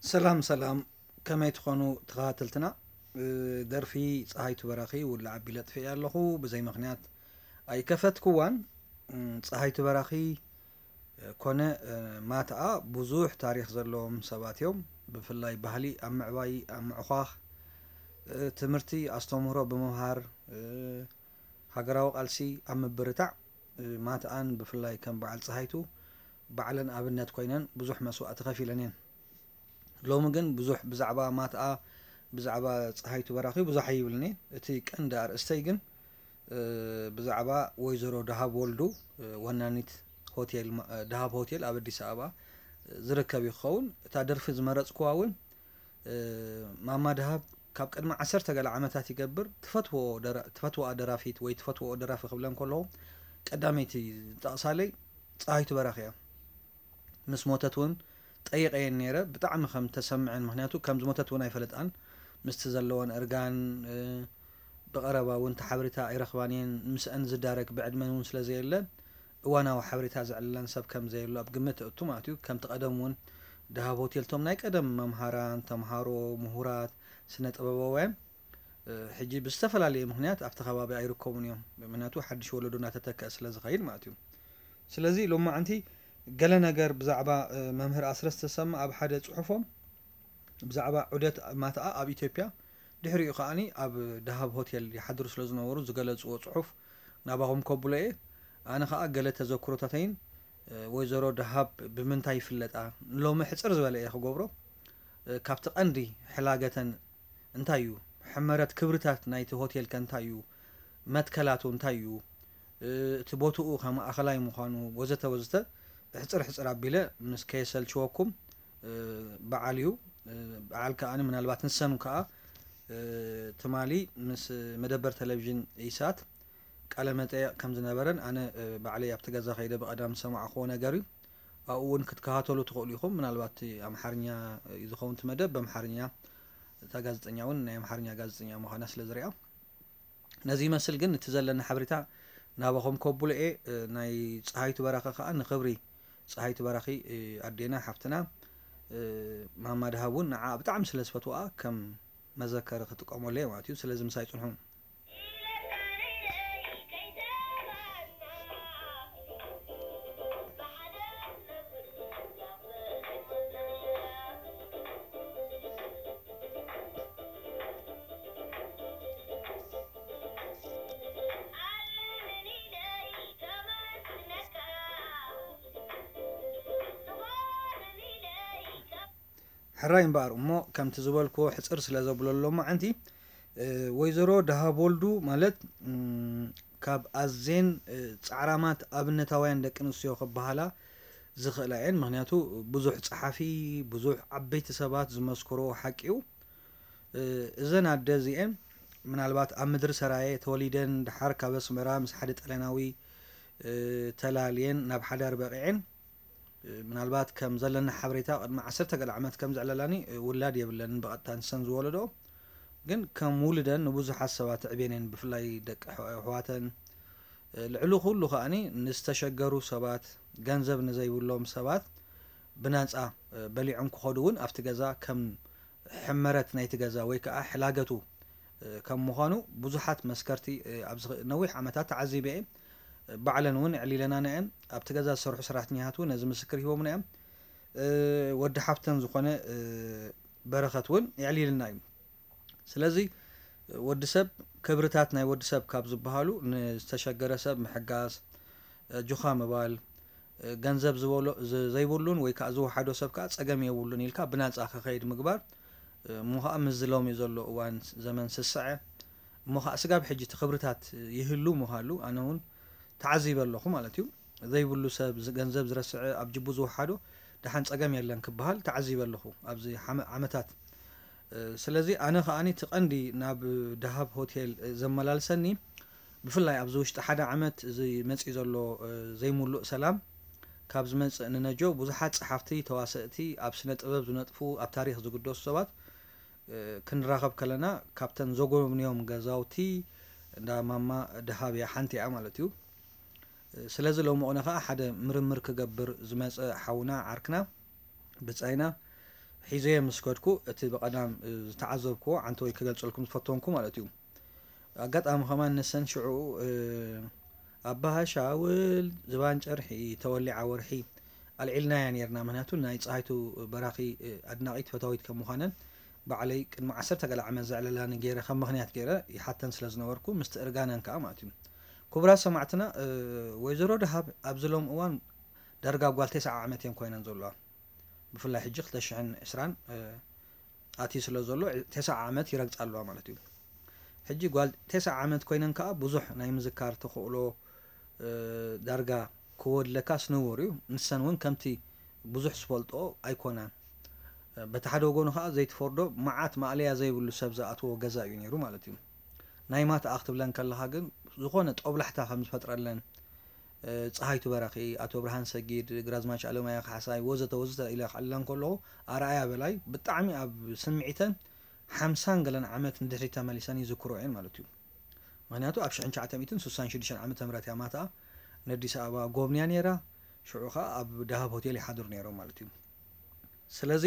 ሰላም ሰላም፣ ከመይ ትኾኑ ተኸታተልትና? እ፣ ደርፊ ጸሃይቱ በራኺ ውላዕ ኣቢለ ኣጥፊኤ ኣለኹ፣ ብዘይ ምኽንያት ኣይከፈትክዋን። እም፣ ጸሃይቱ በራኺ፣ እ፣ ኮነ፣ እ፣ ማትኣ ብዙሕ ታሪኽ ዘለዎም ሰባት እዮም። ብፍላይ ባህሊ ኣብ ምዕባይ፣ ኣብ ምዕዃኽ፣ እ፣ ትምህርቲ ኣስተምህሮ ብምምሃር፣ እ፣ ሃገራዊ ቃልሲ ኣብ ምብርታዕ፣ እ፣ ማትኣን ብፍላይ ከም በዓል ጸሃይቱ ባዕለን ኣብነት ኮይነን ብዙሕ መስዋእቲ ከፊለን እየን። ሎሚ ግን ብዙሕ ብዛዕባ ማትኣ፣ ብዛዕባ ጸሃይቱ በራኺ ብዙሕ ኣይብልን እየ። እቲ ቀንዲ ኣርእስተይ ግን፣ እ፣ ብዛዕባ ወይዘሮ ደሃብ ወልዱ፣ እ፣ ወናኒት ሆቴል ማ-፣ እ፣ ደሃብ ሆቴል ኣብ ኣዲስ ኣበባ፣ እ፣ ዝርከብ እዩ ክኸውን። እታ ደርፊ ዝመረጽኩዋ እውን፣ እ፣ ማማ ደሃብ ካብ ቅድሚ ዓሰርተ ገለ ዓመታት ይገብር ትፈትዎ ደራ-፣ ትፈትዎኣ ደራፊት ወይ ትፈትዎኦ ደራፊ ክብለን ከለኹ ቀዳመይቲ ዝጠቕሳለይ ጸሃይቱ በራኺ እያ። ምስ ሞተት እውን ጠይቐየን ነይረ። ብጣዕሚ ከም ተሰምዐን፣ ምኽንያቱ ከም ዝሞተት እውን ኣይፈለጣን። ምስቲ ዘለወን እርጋን፣ እ፣ ብቐረባ እውን እቲ ሓበሬታ ኣይረኽባን እየን። ምስአን ዝዳረግ ብዕድመን እውን ስለ ዘየለ እዋናዊ ሓበሬታ ዘዕልለን ሰብ ከም ዘየሎ ኣብ ግምት እእቱ ማለት እዩ። ከምቲ ቀደም እውን ደሃብ ሆቴል እቶም ናይ ቀደም መምሃራን፣ ተምሃሮ፣ ምሁራት፣ ስነ ጥበባውያን፣ እ፣ ሕጂ ብዝተፈላለየ ምኽንያት ኣብቲ ከባቢ ኣይርከቡን እዮም። ምኽንያቱ ሓድሽ ወለዶ እናተተክአ ስለ ዝኸይድ ማለት እዩ። ስለዚ ሎማዓንቲ ገለ ነገር ብዛዕባ፣ እ፣ መምህር ኣስረስ ተሰማ ኣብ ሓደ ጽሑፎም ብዛዕባ ዑደት ማትኣ ኣብ ኢትዮጵያ፣ ድሕሪኡ ከኣኒ ኣብ ደሃብ ሆቴል ይሓድሩ ስለ ዝነበሩ ዝገለጽዎ ጽሑፍ ናባኹም ከብሎ እየ። ኣነ ከኣ ገለ ተዘክሮታተይን፣ እ፣ ወይዘሮ ደሃብ ብምንታይ ይፍለጣ፣ ንሎሚ ሕጽር ዝበለ እየ ክገብሮ። እ፣ ካብቲ ቀንዲ ሕላገተን እንታይ እዩ? ሕመረት ክብርታት ናይቲ ሆቴል ከ እንታይ እዩ? መትከላቱ እንታይ እዩ? እ፣ እቲ ቦትኡ ከ ማእኸላይ ምዃኑ ወዘተ ወዘተ ሕጽር ሕጽር ኣቢለ ምስ ከየሰልችወኩም፣ እ፣ በዓል እዩ። እ፣ በዓል ከኣ ምናልባት ንሰን ከኣ፣ እ፣ ትማሊ ምስ መደበር ቴሌቪዥን ኢሳት ቃለ መጠየቕ ከም ዝነበረን ኣነ፣ እ፣ ባዕለይ ኣብቲ ገዛ ከይደ ብቐዳም ዝሰማዕክዎ ነገር እዩ። ኣብኡ እውን ክትከታተሉ ትኽእሉ ኢኹም። ምናልባት ኣምሓርኛ እዩ ዝኸውን እቲ መደብ፣ ብኣምሓርኛ፣ እታ ጋዜጠኛ እውን ናይ ኣምሓርኛ ጋዜጠኛ ምዃና ስለ ዝሪኣ። ነዚ ይመስል፣ ግን እቲ ዘለኒ ሓበሬታ ናባኹም ከብሎ እየ። እ፣ ናይ ጸሃይቱ በራኺ ከኣ ንኽብሪ ጸሃይቱ በራኺ፣ እ፣ ኣዴና ሓፍትና፣ እ፣ ማማ ደሃብ እውን ንዓ ብጣዕሚ ስለ ዝፈትዋ ከም መዘከሪ ክጥቀመሉ እየ ማለት እዩ። ስለዚ ምሳይ ጽንሑ። ሕራይ እምበኣር እሞ፣ ከምቲ ዝበልክዎ ሕጽር ስለ ዘብሎ ሎማዓንቲ፣ እ፣ ወይዘሮ ደሃብ ወልዱ ማለት፣ እም፣ ካብ ኣዜን፣ እ፣ ጻዕራማት ኣብነታውያን ደቂ ኣንስትዮ ክበሃላ ዝኽእላ እየን። ምኽንያቱ ብዙሕ ጸሓፊ፣ ብዙሕ ዓበይቲ ሰባት ዝመስክርዎ ሓቂ እዩ። እ፣ እዘን ኣደ እዚኤን ምናልባት ኣብ ምድሪ ሰራየ ተወሊደን፣ ደሓር ካብ ኣስመራ ምስ ሓደ ጣልያናዊ፣ እ፣ ተላልየን ናብ ሓዳር በቒዐን። እ፣ ምናልባት ከም ዘለኒ ሓበሬታ ቅድሚ ዓሰርተ ገለ ዓመት ከም ዘዕለላኒ፣ እ፣ ውላድ የብለንን ብቐጥታ ንሰን ዝወለድኦ። ግን ከም ውሉደን ንብዙሓት ሰባት ኣዕብየን እየን፣ ብፍላይ ደቂ ኣሕ-፣ ኣሕዋተን። እ፣ ልዕሊ ኩሉ ከኣኒ ንዝተሸገሩ ሰባት፣ ገንዘብ ንዘይብሎም ሰባት ብናጻ፣ እ፣ በሊዖም ክኸዱ እውን ኣብቲ ገዛ ከም ሕመረት ናይቲ ገዛ ወይ ከኣ ሕላገቱ፣ እ፣ ከም ምዃኑ ብዙሓት መስከርቲ፣ እ፣ ኣብዚ ኽ-፣ ነዊሕ ዓመታት ተዓዚበ እየ። እ፣ ባዕለን እውን ኣዕሊለናና እየን። ኣብቲ ገዛ ዝሰርሑ ሰራሕተኛታት እውን ነዚ ምስክር ሂቦምና እዮም። እ፣ ወዲ ሓፍተን ዝኾነ፣ እ፣ በረኸት እውን የዕሊልና እዩ። ስለዚ ወዲ ሰብ፣ ክብርታት ናይ ወዲ ሰብ ካብ ዝበሃሉ ንዝተሸገረ ሰብ ምሕጋዝ፣ ኣጆኻ ምባል፣ ገንዘብ ዝበሎ-፣ ዘ-፣ ዘይብሉን ወይ ከኣ ዝወሓዶ ሰብ ከኣ ጸገም የብሉን ኢልካ ብናጻ ክኸይድ ምግባር፣ እሞ ኸኣ ምስዚ ሎሚ ዘሎ እዋን ዘመን ስስዐ፣ እሞ ኸኣ ስጋብ ሕጂ እቲ ክብርታት ይህሉ ምዃሉ ኣነ እውን ተዓዚበ ኣለኹ ማለት እዩ። ዘይብሉ ሰብ፣ ዝ-፣ ገንዘብ ዝረስዐ፣ ኣብ ጅቡ ዝወሓዶ፣ ደሓን ጸገም የለን ክበሃል ተዓዚበ ኣለኹ ኣብዚ ሓመ-፣ ዓመታት። እ፣ ስለዚ ኣነ ከኣኒ እቲ ቀንዲ ናብ ደሃብ ሆቴል፣ እ፣ ዘመላልሰኒ፣ ብፍላይ ኣብዚ ውሽጢ ሓደ ዓመት እዚ መጺኡ ዘሎ፣ እ፣ ዘይምሉእ ሰላም ካብ ዝመጽእ ንነጆ ብዙሓት ጸሓፍቲ፣ ተዋሰእቲ፣ ኣብ ስነ ጥበብ ዝነጥፉ፣ ኣብ ታሪኽ ዝግደሱ ሰባት፣ እ፣ ክንራኸብ ከለና ካብተን ዘጎብንዮም ገዛውቲ እንዳ ማማ ደሃብ እያ ሓንቲ እያ ማለት እዩ። እ፣ ስለዚ ሎሚ ቕነ ኸኣ ሓደ ምርምር ክገብር ዝመጸ ሓውና ዓርክና ብጻይና፣ ሒዘዮ ምስ ከድኩ፣ እቲ ብቐዳም ዝተዓዘብክዎ ዓንተወይ ክገልጸልኩም ዝፈተንኩ ማለት እዩ። ኣጋጣሚ ከማን ንሰን ሽዑ ኣባሃሻውል ዝባን ጨርሒ ተወሊዓ ወርሒ ኣልዒልናያ ነርና። ምክንያቱ ናይ ፀሃይቱ በራኺ ኣድናቒት ፈታዊት ከም ምዃነን ባዕለይ ቅድሚ ዓሰርተ ገለ ዓመት ዘዕለላኒ ገይረ ከም ምኽንያት ገይረ ይሓተን ስለ ዝነበርኩ ምስቲ እርጋነን ከዓ ማለት እዩ። ክቡራት ሰማዕትና፣ ወይዘሮ ደሃብ ኣብዚ ሎም እዋን ዳርጋ ጓል ተስዓ ዓመት እየን ኮይነን ዘለዋ። ብፍላይ ሕጂ ክልተ ሽሕን ዕስራን ኣትዩ ስለ ዘሎ ተስዓ ዓመት ይረግፃ ኣለዋ ማለት እዩ። ሕጂ ጓል ተስዓ ዓመት ኮይነን ከዓ ብዙሕ ናይ ምዝካር ተኽእሎ ዳርጋ ክወድለካ ስንውር እዩ። ንሰን እውን ከምቲ ብዙሕ ዝፈልጦ ኣይኮናን። በቲ ሓደ ወገኑ ከዓ ዘይትፈርዶ መዓት ማእለያ ዘይብሉ ሰብ ዝኣትዎ ገዛ እዩ ነይሩ ማለት እዩ። ናይ ማትኣ ክትብለን ከለኻ ግን ዝኾነ ጦብላሕታ ከም ዝፈጥረለን፣ ፀሃይቱ በራኺ፣ ኣቶ ብርሃን ሰጊድ፣ ግራዝማች ኣለማያ ካሕሳይ ወዘተ ወዘተ ኢለ ክዕልለን ከለኹ ኣርኣያ በላይ ብጣዕሚ ኣብ ስምዒተን ሓምሳን ገለን ዓመት ንድሕሪት ተመሊሰን ይዝክሮ እየን ማለት እዩ። ምክንያቱ ኣብ ሽሕን ትሽዓተ ሚእትን ስሳን ሽዱሽተን ዓመተ ምህረት እያ ማትኣ ንኣዲስ ኣበባ ጎብንያ ነይራ። ሽዑ ከዓ ኣብ ደሃብ ሆቴል ይሓድሩ ነይሮም ማለት እዩ። ስለዚ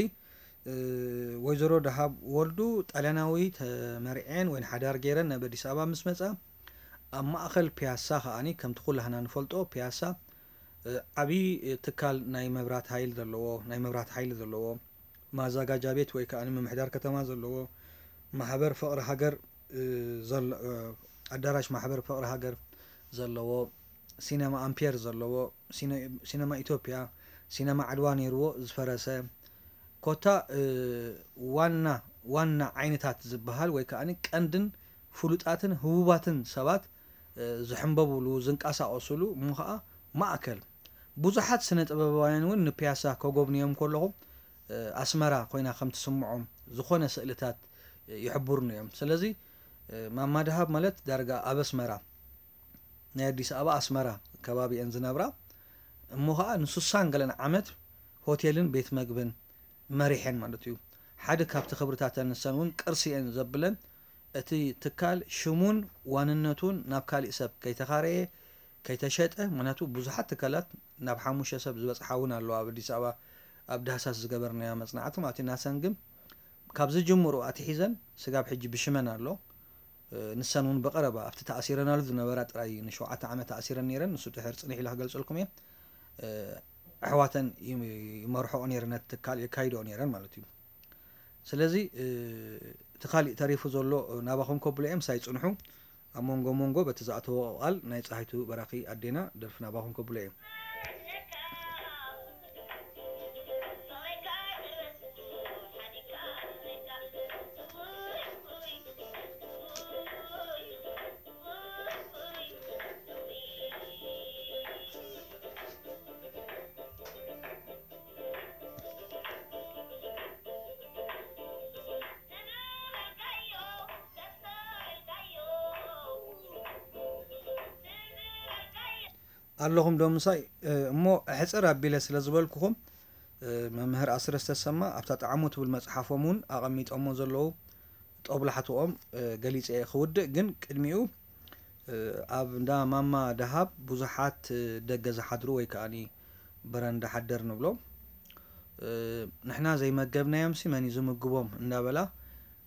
ወይዘሮ ደሃብ ወልዱ ጣልያናዊ ተመርዕየን ወይ ሓዳር ገይረን ናብ ኣዲስ ኣበባ ምስ መፃ ኣብ ማእኸል ፒያሳ ከዓኒ ከምቲ ኩላህና ንፈልጦ ፒያሳ ዓብዪ ትካል ናይ መብራት ሃይል ዘለዎ ናይ መብራት ሓይሊ ዘለዎ ማዛጋጃ ቤት ወይ ከዓ ምምሕዳር ከተማ ዘለዎ ማሕበር ፍቕሪ ሃገር ኣዳራሽ ማሕበር ፍቕሪ ሃገር ዘለዎ ሲነማ ኣምፔር ዘለዎ ሲነማ ኢትዮጵያ ሲነማ ዓድዋ ነይርዎ ዝፈረሰ ኮታ ዋና ዋና ዓይነታት ዝበሃል ወይ ከዓ ቀንድን ፍሉጣትን ህቡባትን ሰባት ዝሕንበብሉ ዝንቀሳቐስሉ እሞ ከዓ ማእከል ብዙሓት ስነ ጥበባውያን እውን ንፒያሳ ከጎብንዮም ከለኹ ኣስመራ ኮይና ከም ትስምዖም ዝኾነ ስእልታት ይሕብሩኒ እዮም። ስለዚ ማማ ደሃብ ማለት ዳርጋ ኣብ ኣስመራ ናይ ኣዲስ ኣበባ ኣስመራ ከባቢ እየን ዝነብራ እሞ ከዓ ንስሳን ገለን ዓመት ሆቴልን ቤት መግብን መሪሐን ማለት እዩ። ሓደ ካብቲ ክብርታተን ንሰን እውን ቅርሲ እየን ዘብለን እቲ ትካል ሽሙን ዋንነቱን ናብ ካሊእ ሰብ ከይተኻረየ ከይተሸጠ፣ ምክንያቱ ብዙሓት ትካላት ናብ ሓሙሽተ ሰብ ዝበፅሓ እውን ኣለዋ ኣብ ኣዲስ ኣበባ ኣብ ዳህሳስ ዝገበርናዮ መፅናዕቲ ማለት እዩ። ናሰን ግን ካብ ዝጅምሩ ኣትሒዘን ስጋብ ሕጂ ብሽመን ኣሎ። ንሰን እውን ብቐረባ ኣብቲ ተኣሲረናሉ ዝነበራ ጥራይ ንሸውዓተ ዓመት ተኣሲረን ነይረን። ንሱ ድሕር ፅንሕ ኢለ ክገልፀልኩም እየ። ኣሕዋተን ይመርሕኦ ነይረን ነቲ ትካል የካይድኦ ነይረን ማለት እዩ። ስለዚ እቲ ካሊእ ተሪፉ ዘሎ ናባኹም ከብሎ እየ ምሳይ ፅንሑ። ኣብ መንጎ መንጎ በቲ ዝኣተዎ ቃል ናይ ፀሃይቱ በራኺ ኣዴና ደርፊ ናባኹም ከብሎ እየ። ኣለኹም ዶ ምሳይ? እሞ ሕፅር ኣቢለ ስለ ዝበልኩኹም መምህር ኣስረስ ተሰማ ኣብታ ጣዕሙ ትብል መፅሓፎም እውን ኣቐሚጦሞ ዘለዉ ጦብላሕትኦም ገሊፀ እየ ክውድእ። ግን ቅድሚኡ ኣብ እንዳ ማማ ደሃብ ብዙሓት ደገ ዝሓድሩ ወይ ከዓኒ በረንዳ ሓደር ንብሎም ንሕና ዘይመገብናዮምሲ መን እዩ ዝምግቦም እንዳበላ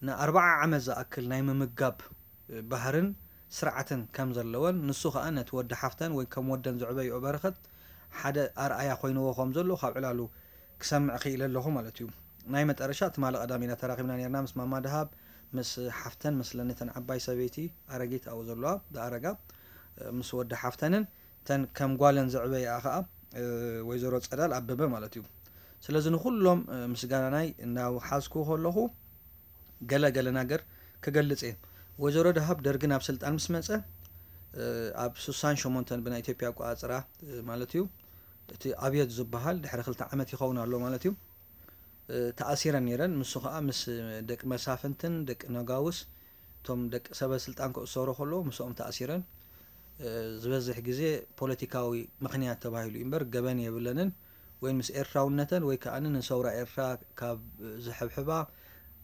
ንኣርባዓ ዓመት ዝኣክል ናይ ምምጋብ ባህርን ስርዓትን ከም ዘለወን ንሱ ከዓ ነቲ ወዲ ሓፍተን ወይ ከም ወደን ዘዕበይኦ በረኸት ሓደ ኣርኣያ ኮይንዎ ከም ዘሎ ካብ ዕላሉ ክሰምዕ ክኢለ ኣለኹ ማለት እዩ። ናይ መጠረሻ ትማሊ ቀዳም ኢና ተራኺብና ነርና ምስ ማማ ደሃብ ምስ ሓፍተን ምስ ለነተን ዓባይ ሰበይቲ ኣረጊት ኣብኡ ዘለዋ ዝኣረጋ ምስ ወዲ ሓፍተንን እተን ከም ጓለን ዘዕበይኣ ከዓ ወይዘሮ ፀዳል ኣበበ ማለት እዩ። ስለዚ ንኩሎም ምስጋናናይ እናውሓዝኩ ከለኹ ገለ ገለ ነገር ክገልፅ እየ። ወይዘሮ ደሃብ ደርጊ ናብ ስልጣን ምስ መፀ ኣብ ስሳን ሸሞንተን ብናይ ኢትዮጵያ ኣቆፃፅራ ማለት እዩ እቲ ኣብዮት ዝበሃል ድሕሪ ክልተ ዓመት ይኸውን ኣሎ ማለት እዩ ተኣሲረን ነይረን። ንሱ ከዓ ምስ ደቂ መሳፍንትን ደቂ ነጋውስ እቶም ደቂ ሰበ ስልጣን ክእሰሩ ከለዉ ምስኦም ተኣሲረን ዝበዝሕ ግዜ ፖለቲካዊ ምኽንያት ተባሂሉ እዩ እምበር ገበን የብለንን። ወይ ምስ ኤርትራውነተን ወይ ከዓ ንሰውራ ኤርትራ ካብ ዝሕብሕባ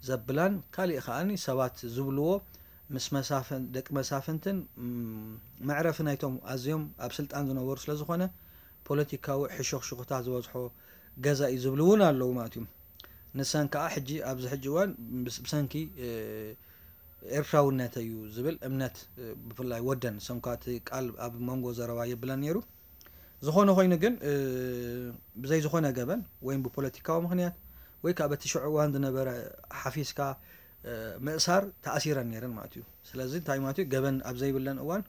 ዘብላን ካሊእ ከዓ ሰባት ዝብልዎ ምስ መሳፍን ደቂ መሳፍንትን መዕረፊ ናይቶም ኣዝዮም ኣብ ስልጣን ዝነበሩ ስለ ዝኾነ ፖለቲካዊ ሕሹኽሹኽታ ዝበዝሖ ገዛ እዩ ዝብሉ እውን ኣለዉ ማለት እዩ። ንሰን ከዓ ሕጂ ኣብዚ ሕጂ እዋን ብሰንኪ ኤርትራውነት እዩ ዝብል እምነት፣ ብፍላይ ወደን ሰንኳ እቲ ቃል ኣብ መንጎ ዘረባ የብለን ነይሩ። ዝኾነ ኮይኑ ግን ብዘይ ዝኾነ ገበን ወይ ብፖለቲካዊ ምኽንያት ወይ ከዓ በቲ ሽዑ እዋን ዝነበረ ሓፊስካ ምእሳር ተኣሲረን ነይረን ማለት እዩ። ስለዚ እንታይ ማለት እዩ? ገበን ኣብ ዘይብለን እዋን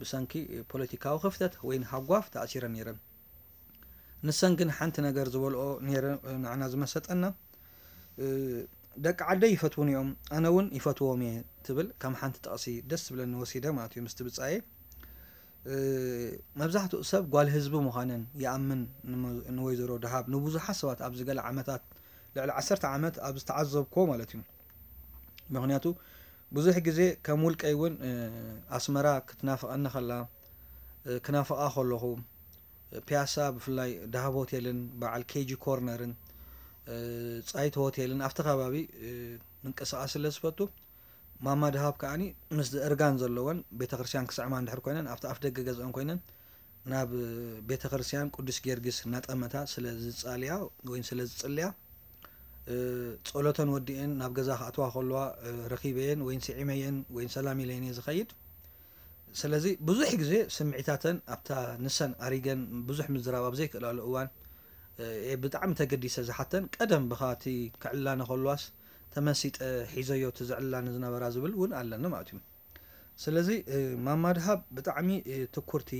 ብሰንኪ ፖለቲካዊ ክፍተት ወይ ሃጓፍ ተኣሲረን ነይረን። ንሰን ግን ሓንቲ ነገር ዝበልኦ ነይረ ንዓና ዝመሰጠና፣ ደቂ ዓደይ ይፈትውኒ እዮም፣ ኣነ እውን ይፈትዎም እየ ትብል ከም ሓንቲ ጥቕሲ ደስ ዝብለኒ ወሲደ ማለት እዩ። ምስቲ ብጻየ መብዛሕትኡ ሰብ ጓል ህዝቢ ምዃነን ይኣምን። ንወይዘሮ ደሃብ ንብዙሓት ሰባት ኣብዚ ገለ ዓመታት፣ ልዕሊ ዓሰርተ ዓመት ኣብ ዝተዓዘብክዎ ማለት እዩ። ምኽንያቱ ብዙሕ ግዜ ከም ውልቀይ እውን ኣስመራ ክትናፍቐኒ ከላ፣ ክናፍቓ ከለኹ፣ ፒያሳ ብፍላይ ደሃብ ሆቴልን በዓል ኬጂ ኮርነርን ጻይቱ ሆቴልን ኣብቲ ከባቢ ምንቅስቓስ ስለ ዝፈቱ፣ ማማ ደሃብ ከዓኒ ምስ እርጋን ዘለወን ቤተክርስትያን ክስዕማ እንድሕር ኮይነን ኣብቲ ኣፍ ደገ ገዝአን ኮይነን ናብ ቤተክርስትያን ቅዱስ ጊዮርጊስ እናጠመታ ስለ ዝጻልያ ወይ ስለ ዝጽልያ፣ ጸሎተን ወዲኤን ናብ ገዛ ክኣትዋ ከለዋ ረኺበየን ወይ ስዒመየን ወይ ሰላም ኢለየን እየ ዝኸይድ። ስለዚ ብዙሕ ግዜ ስምዒታተን ኣብታ ንሰን ኣሪገን ብዙሕ ምዝራብ ኣብ ዘይክእላሉ እዋን፣ ብጣዕሚ ተገዲሰ ዝሓተን፣ ቀደም ብኻ እቲ ክዕልላኒ ከልዋስ ተመሲጠ ሒዘዮ እቲ ዘዕልላኒ ዝነበራ ዝብል እውን ኣለኒ ማለት እዩ። ስለዚ ማማ ደሃብ ብጣዕሚ ትኩርቲ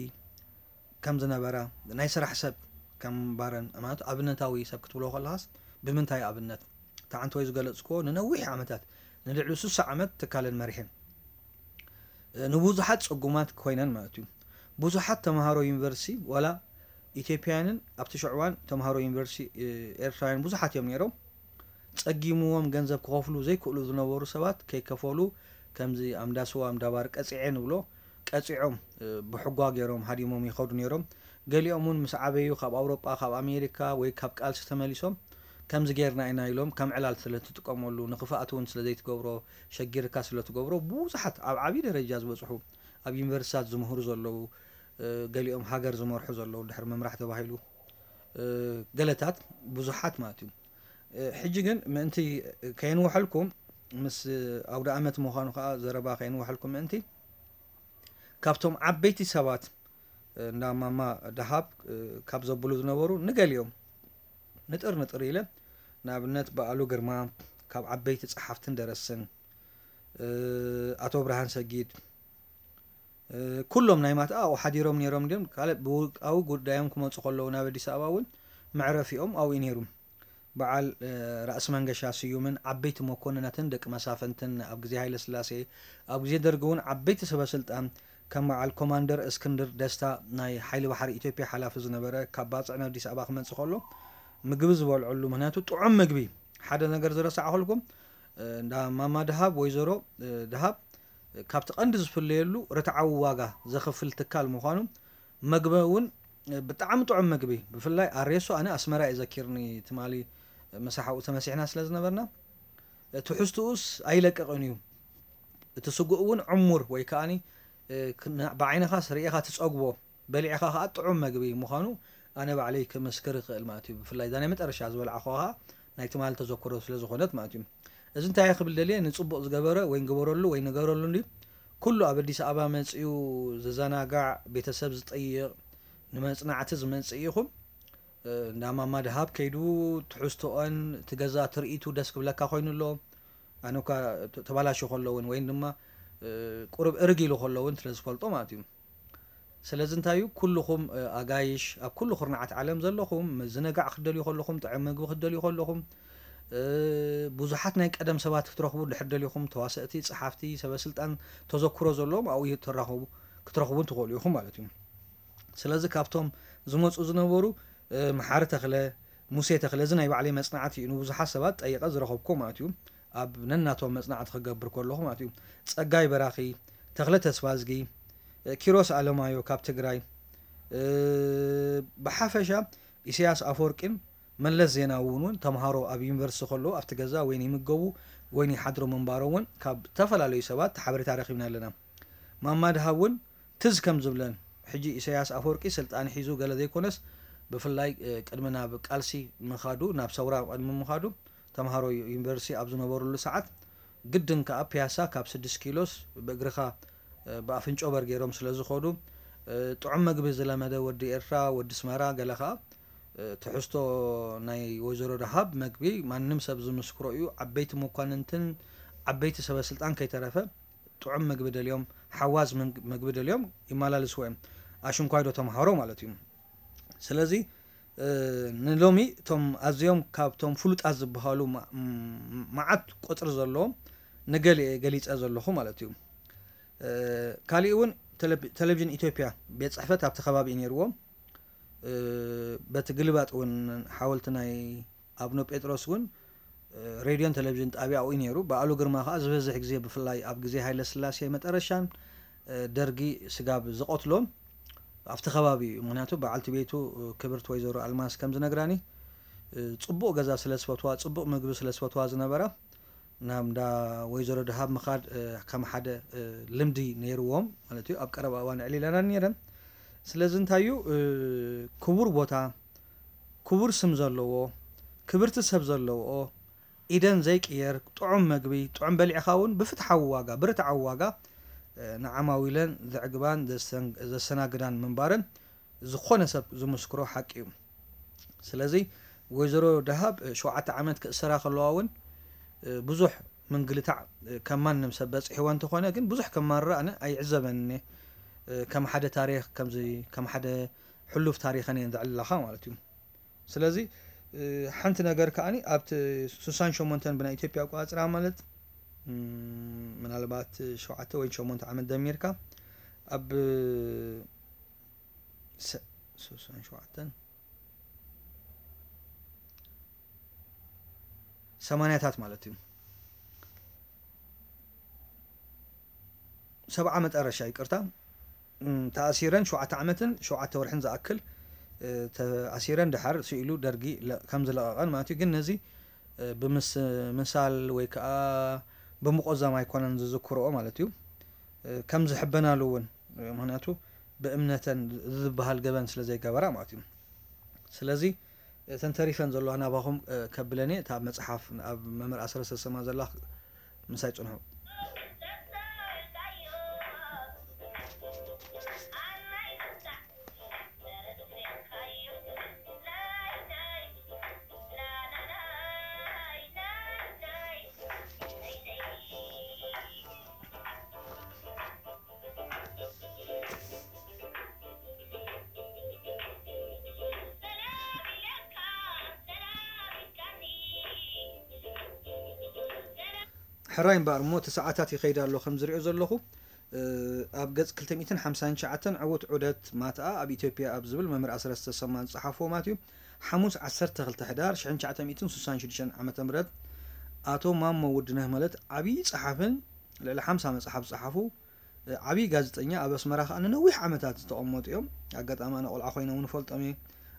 ከም ዝነበራ፣ ናይ ስራሕ ሰብ ከም ምንባረን፣ ማለት ኣብነታዊ ሰብ ክትብሎ ከለኻስ ብምንታይ ኣብነት? እቲ ሓንቲ ወይ ዝገለጽክዎ ንነዊሕ ዓመታት፣ ንልዕሊ ስሳ ዓመት ትካለን መሪሐን ንብዙሓት ጽጉማት ኮይነን ማለት እዩ። ብዙሓት ተምሃሮ ዩኒቨርሲቲ ዋላ ኢትዮጵያውያንን ኣብቲ ሽዑ እዋን ተምሃሮ ዩኒቨርሲቲ ኤርትራውያን ብዙሓት እዮም ነይሮም። ጸጊምዎም ገንዘብ ክኸፍሉ ዘይክእሉ ዝነበሩ ሰባት ከይከፈሉ ከምዚ ኣምዳስዋ ኣምዳባር ቀጺዐ ንብሎ ቀጺዖም ብሕጓ ገይሮም ሃዲሞም ይኸዱ ነይሮም። ገሊኦም እውን ምስ ዓበዩ ካብ ኣውሮጳ ካብ ኣሜሪካ ወይ ካብ ቃልሲ ተመሊሶም ከምዚ ጌርና ኢና ኢሎም ከም ዕላል ስለ ትጥቀመሉ ንክፍኣት እውን ስለ ዘይትገብሮ ሸጊርካ ስለ ትገብሮ ብዙሓት ኣብ ዓብዪ ደረጃ ዝበፅሑ ኣብ ዩኒቨርሲታት ዝምህሩ ዘለዉ ገሊኦም ሃገር ዝመርሑ ዘለዉ ድሕሪ ምምራሕ ተባሂሉ ገለታት ብዙሓት ማለት እዩ። ሕጂ ግን ምእንቲ ከየንውሐልኩም ምስ ኣውደ ኣመት ምዃኑ ከዓ ዘረባ ከየንውሐልኩም ምእንቲ ካብቶም ዓበይቲ ሰባት እንዳ ማማ ደሃብ ካብ ዘብሉ ዝነበሩ ንገሊኦም ንጥር ንጥር ኢለ ንኣብነት በዓሉ ግርማ ካብ ዓበይቲ ጸሓፍትን ደረስን ኣቶ ብርሃን ሰጊድ ኩሎም ናይ ማትኣ ኣብኡ ሓዲሮም ነይሮም ድዮም ካልእ ብውልቃዊ ጉዳዮም ክመፁ ከለዉ ናብ ኣዲስ ኣበባ እውን መዕረፊኦም ኣብኡ ነይሩ። በዓል ራእሲ መንገሻ ስዩምን ዓበይቲ መኮንናትን ደቂ መሳፍንትን ኣብ ግዜ ሃይለ ስላሴ ኣብ ግዜ ደርጊ እውን ዓበይቲ ሰበ ስልጣን ከም በዓል ኮማንደር እስክንድር ደስታ ናይ ሓይሊ ባሕሪ ኢትዮጵያ ሓላፊ ዝነበረ ካብ ባፅዕ ናብ ኣዲስ ኣበባ ክመፅእ ከሎ ምግቢ ዝበልዐሉ ምክንያቱ ጥዑም ምግቢ ሓደ ነገር ዝረሳዕኹልኩም እንዳ ማማ ድሃብ ወይዘሮ ድሃብ ካብቲ ቀንዲ ዝፍለየሉ ርትዓዊ ዋጋ ዘኽፍል ትካል ምዃኑ መግቢ እውን ብጣዕሚ ጥዑም መግቢ ብፍላይ ኣሬሶ ኣነ ኣስመራ እዩ ዘኪርኒ ትማሊ ምሳሓኡ ተመሲሕና ስለ ዝነበርና ትሕዝትኡስ ኣይለቅቕን እዩ እቲ ስጉእ እውን ዕሙር ወይ ከዓኒ ብዓይንኻስ ርኢኻ ትፀግቦ በሊዕኻ ከዓ ጥዑም መግቢ ምዃኑ ኣነ ባዕለይ ክምስክር ይኽእል ማለት እዩ። ብፍላይ እዛ ናይ መጨረሻ ዝበልዓኹዋ ከዓ ናይ ትማሊ ተዘክሮ ስለ ዝኾነት ማለት እዩ። እዚ እንታይ ክብል ደልየ ንፅቡቕ ዝገበረ ወይ ንግበረሉ ወይ ንገረሉ እንዲ ኩሉ ኣብ ኣዲስ ኣበባ መፅኡ ዝዘናጋዕ ቤተሰብ ዝጠይቕ ንመፅናዕቲ ዝመፅእ ይኹን እንዳማማ ድሃብ ከይዱ ትሕዝቶኦን እቲ ገዛ ትርኢቱ ደስ ክብለካ ኮይኑ ኣሎ ኣነ እኳ ተባላሹ ከሎ እውን ወይ ድማ ቁሩብ እርግ ኢሉ ከሎ እውን ስለ ዝፈልጦ ማለት እዩ። ስለዚ እንታይ እዩ ኩልኹም ኣጋይሽ ኣብ ኩሉ ኩርናዓት ዓለም ዘለኹም ምዝንጋዕ ክትደልዩ ከለኹም ጥዑም ምግቢ ክትደልዩ ከለኹም ብዙሓት ናይ ቀደም ሰባት ክትረኽቡ ድሕር ደሊኹም ተዋሰእቲ፣ ጸሓፍቲ፣ ሰበ ስልጣን ተዘክሮ ዘለዎም ኣብኡ ትራኸቡ ክትረኽቡን ትኽእሉ ኢኹም ማለት እዩ። ስለዚ ካብቶም ዝመፁ ዝነበሩ መሓሪ ተኽለ፣ ሙሴ ተኽለ እዚ ናይ ባዕለይ መፅናዕቲ እዩ ንብዙሓት ሰባት ጠይቐ ዝረኸብኩዎ ማለት እዩ። ኣብ ነናቶም መፅናዕቲ ክገብር ከለኹ ማለት እዩ ጸጋይ በራኺ፣ ተኽለ ተስፋዝጊ፣ ኪሮስ ኣለማዮ ካብ ትግራይ፣ ብሓፈሻ ኢሳያስ ኣፈወርቂን መለስ ዜናዊ እውን እውን ተምሃሮ ኣብ ዩኒቨርሲቲ ከለዉ ኣብቲ ገዛ ወይ ይምገቡ ወይ ይሓድሩ ምንባሮም እውን ካብ ዝተፈላለዩ ሰባት ሓበሬታ ረኺብና ኣለና። ማማ ድሃብ እውን ትዝ ከም ዝብለን ሕጂ ኢሳያስ ኣፈወርቂ ስልጣን ሒዙ ገለ ዘይኮነስ ብፍላይ ቅድሚ ናብ ቃልሲ ምኻዱ ናብ ሰውራ ቅድሚ ምኻዱ ተምሃሮ ዩኒቨርሲቲ ኣብ ዝነበሩሉ ሰዓት፣ ግድን ከኣ ፒያሳ ካብ ስድስት ኪሎስ ብእግርኻ፣ እ፣ ብኣፍንጮ በር ገይሮም ስለ ዝኸዱ፣ እ፣ ጥዑም መግቢ ዝለመደ ወዲ ኤርትራ፣ ወዲ ስመራ፣ ገለ ከኣ፣ እ፣ ትሕዝቶ ናይ ወይዘሮ ደሃብ መግቢ ማንም ሰብ ዝምስክሮ እዩ። ዓበይቲ መኳንንትን ዓበይቲ ሰበ ስልጣን ከይተረፈ ጥዑም መግቢ ደልዮም፣ ሓዋዝ መግ-፣ መግቢ ደልዮም ይመላልስዎ እዮም። ኣሽንኳይዶ ተምሃሮ ማለት እዩ። ስለዚ፣ እ፣ ንሎሚ እቶም ኣዝዮም ካብቶም ፍሉጣት ዝበሃሉ ማ-፣ ም-፣ መዓት ቁጽሪ ዘለዎም ንገሊኤ ገሊጸ ዘለኹ ማለት እዩ። እ፣ ካሊእ እውን ቴሌ-፣ ቴሌቪዥን ኢትዮጵያ ቤት ጽሕፈት ኣብቲ ከባቢ እዩ ነይርዎ። እ፣ በቲ ግልባጥ እውን ሓወልቲ ናይ ኣቡነ ጴጥሮስ እውን፣ እ፣ ሬድዮን ቴሌቪዥን ጣብያ ኣብኡ እዩ ነይሩ። በዓሉ ግርማ ከኣ ዝበዝሕ ግዜ ብፍላይ ኣብ ግዜ ሃይለ ስላሴ መጠረሻን፣ እ፣ ደርጊ ስጋብ ዝቐትሎ ኣብቲ ከባቢ እዩ። ምኽንያቱ በዓልቲ ቤቱ፣ እ፣ ክብርቲ ወይዘሮ ኣልማዝ ከም ዝነግራኒ፣ እ፣ ጽቡቕ ገዛ ስለ ዝፈትዋ፣ ጽቡቕ ምግቢ ስለ ዝፈትዋ ዝነበራ ናብ እንዳ ወይዘሮ ደሃብ ምኻድ፣ እ፣ ከም ሓደ፣ እ፣ ልምዲ ነይርዎም ማለት እዩ። ኣብ ቀረባ እዋን ኣዕሊለናን ነይረን። ስለዚ እንታይ እዩ፣ እ፣ ክቡር ቦታ፣ ክቡር ስም ዘለዎ፣ ክብርቲ ሰብ ዘለውኦ፣ ኢደን ዘይቅየር ጥዑም መግቢ፣ ጥዑም በሊዕኻ እውን ብፍትሓዊ ዋጋ፣ ብርትዓዊ ዋጋ፣ እ፣ ንዓማዊለን ዘዕግባን ዘሰን-፣ ዘሰናግዳን ምንባረን ዝኾነ ሰብ ዝምስክሮ ሓቂ እዩ። ስለዚ ወይዘሮ ደሃብ፣ እ፣ ሸውዓተ ዓመት ክእሰራ ከለዋ እውን፣ እ፣ ብዙሕ ምንግልታዕ፣ እ፣ ከም ማንም ሰብ በጺሕዋ እንተኾነ፣ ግን ብዙሕ ከማርር ኣነ ኣይዕዘበንን እየ። እ፣ ከም ሓደ ታሪኽ፣ ከምዚ ከም ሓደ ሕሉፍ ታሪኸን እየን ዘዕልላኻ ማለት እዩ። ስለዚ፣ እ፣ ሓንቲ ነገር ከኣኒ ኣብቲ ስሳን ሸሞንተን ብናይ ኢትዮጵያ ኣቆጻጽራ ማለት፣ እም፣ ምናልባት ሸውዓተ ወይ ሸሞንተ ዓመት ደሚርካ ኣብ ሰ-፣ ስሳን ሸውዓተን ሰማንያታት ማለት እዩ። ሰብዓ መጠረሻ፣ ይቅርታ፣ እም፣ ተኣሲረን ሸውዓተ ዓመትን ሸውዓተ ወርሕን ዝኣክል፣ እ፣ ተኣሲረን ድሓር ስኢሉ ደርጊ ለ-፣ ከም ዝለቐቐን ማለት እዩ። ግን ነዚ፣ እ፣ ብምስ-፣ ምሳል ወይ ከዓ ብምቆዛም ኣይኮነን ዝዝክርኦ ማለት እዩ። እ፣ ከም ዝሕበናሉ እውን፣ እ፣ ምኽንያቱ ብእምነተን ዝበሃል ገበን ስለ ዘይገበራ ማለት እዩ። ስለዚ እተን ተሪፈን ዘለዋ ናባኹም፣ እ፣ ከብለኒ፣ እታ መጽሓፍ ኣብ መምህር ኣስረስ ተሰማ ዘላ ምሳይ ጽንሑ። ሕራይ እምበኣር እሞ፣ እቲ ሰዓታት ይኸይድ ኣሎ። ከም ዝሪኦ ዘለኹ፣ እ፣ ኣብ ገጽ ክልተ ሚእትን ሓምሳን ትሽዓተን ዕዉት ዑደት ማትኣ ኣብ ኢትዮጵያ ኣብ ዝብል መምህር ኣስረስ ተሰማ ዝጸሓፍዎ ማለት እዩ። ሓሙስ ዓሰርተ ክልተ ሕዳር ሽሕን ትሽዓተ ሚእትን ስሳን ሽዱሽተን ዓመተ ምህረት ኣቶ ማሞ ውድነህ ማለት ዓብዪ ጸሓፍን ልዕሊ ሓምሳ መጽሓፍ ዝጸሓፉ፣ እ፣ ዓብዪ ጋዜጠኛ፣ ኣብ ኣስመራ ከኣ ንነዊሕ ዓመታት ዝተቐመጡ እዮም። ኣጋጣሚ ኣነ ቆልዓ ኮይነ እውን እፈልጦም እየ።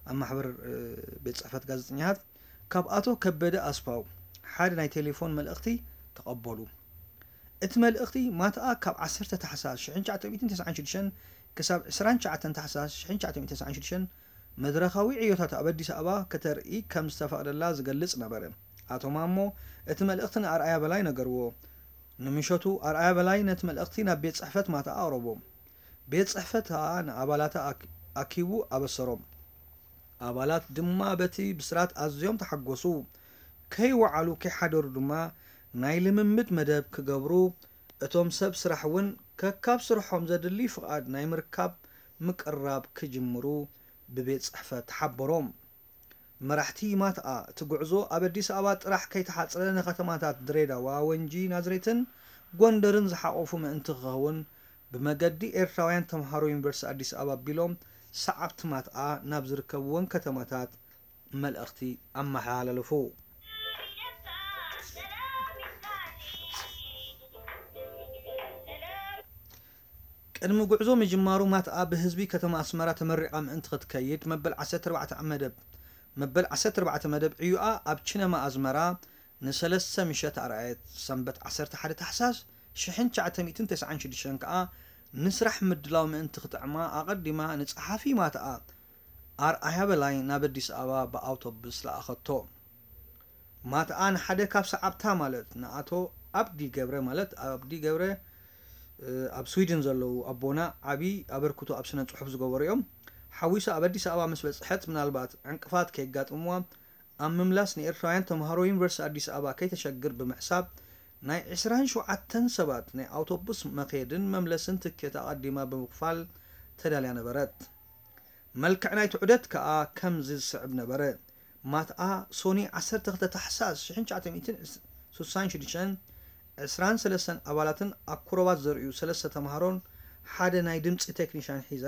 ኣብ ማሕበር፣ እ፣ ቤት ጽሕፈት ጋዜጠኛታት ካብ ኣቶ ከበደ ኣስፋው ሓደ ናይ ቴሌፎን መልእኽቲ ተቐበሉ። እቲ መልእኽቲ ማትኣ ካብ ዓሰርተ ታሕሳስ ሽሕን ትሽዓተ ሚእትን ተስዓን ሽዱሽተን ክሳብ ዕስራን ትሽዓተን ታሕሳስ ሽሕን ትሽዓተ ሚእትን ተስዓን ሽዱሽተን መድረኻዊ ዕዮታት ኣብ ኣዲስ ኣበባ ከተርኢ ከም ዝተፈቕደላ ዝገልጽ ነበረ። ኣቶ ማሞ እቲ መልእኽቲ ንኣርኣያ በላይ ነገርዎ። ንምሸቱ ኣርኣያ በላይ ነቲ መልእኽቲ ናብ ቤት ጽሕፈት ማትኣ ኣቕረቦ። ቤት ጽሕፈት ከኣ ንኣባላታ ኣክ-፣ ኣኪቡ ኣበሰሮም። ኣባላት ድማ በቲ ብስራት ኣዝዮም ተሓጎሱ። ከይወዓሉ ከይሓደሩ ድማ ናይ ልምምድ መደብ ክገብሩ፣ እቶም ሰብ ስራሕ እውን ከካብ ስርሖም ዘድሊ ፍቓድ ናይ ምርካብ ምቅርራብ ክጅምሩ ብቤት ጽሕፈት ተሓበሮም። መራሕቲ ማትኣ፣ እቲ ጉዕዞ ኣብ ኣዲስ ኣበባ ጥራሕ ከይተሓጽረ ንከተማታት ድሬዳዋ፣ ወንጂ፣ ናዝሬትን ጎንደርን ዝሓቖፉ ምእንቲ ክኸውን፣ ብመገዲ ኤርትራውያን ተምሃሮ ዩኒቨርሲቲ ኣዲስ ኣበባ ኣቢሎም ሰዓብቲ ማትኣ ናብ ዝርከብወን ከተማታት መልእኽቲ ኣመሓላለፉ። ቅድሚ ጉዕዞ ምጅማሩ ማትኣ ብህዝቢ ከተማ ኣስመራ ተመሪቓ ምእንቲ ክትከይድ መበል ዓሰርተ ኣርባዕተ መደብ፣ መበል ዓሰርተ ኣርባዕተ መደብ ዕዩኣ ኣብ ቺነማ ኣዝመራ ንሰለስተ ምሸት ኣርኣየት። ሰንበት ዓሰርተ ሓደ ታሕሳስ ሽሕን ትሽዓተ ሚእትን ተስዓን ሽዱሽተን ከኣ ንስራሕ ምድላው ምእንቲ ክጥዕማ ኣቐዲማ ንጸሓፊ ማትኣ ኣርኣያ በላይ ናብ ኣዲስ ኣበባ ብኣውቶቡስ ለኣኸቶ። ማትኣ ንሓደ ካብ ሰዓብታ ማለት ንኣቶ ኣብዲ ገብረ ማለት ኣብዲ ገብረ ኣብ ስዊድን ዘለዉ ኣቦና ዓቢ ኣበርክቶ ኣብ ስነ ጽሑፍ ዝገበሩ እዮም። ሓዊሳ ኣብ ኣዲስ ኣበባ ምስ በጽሐት ምናልባት ዕንቅፋት ከየጋጥምዋ ኣብ ምምላስ ንኤርትራውያን ተምሃሮ ዩኒቨርሲቲ ኣዲስ ኣበባ ከይተሸግር ብምሕሳብ ናይ ዕስራን ሸውዓተን ሰባት ናይ ኣውቶቡስ መኼድን መምለስን ትኬት ኣቐዲማ ብምኽፋል ተዳልያ ነበረት። መልክዕ ናይቲ ዑደት ከኣ ከምዚ ዝስዕብ ነበረ። ማትኣ ሶኒ ዓሰርተ ክልተ ታሕሳስ ሽሕን ትሽዓተ ሚእትን ስሳን ሽዱሽተን ዕስራን ሰለስተን ኣባላትን ኣኩረባት ዘርእዩ ሰለስተ ተምሃሮን ሓደ ናይ ድምጺ ቴክኒሻን ሒዛ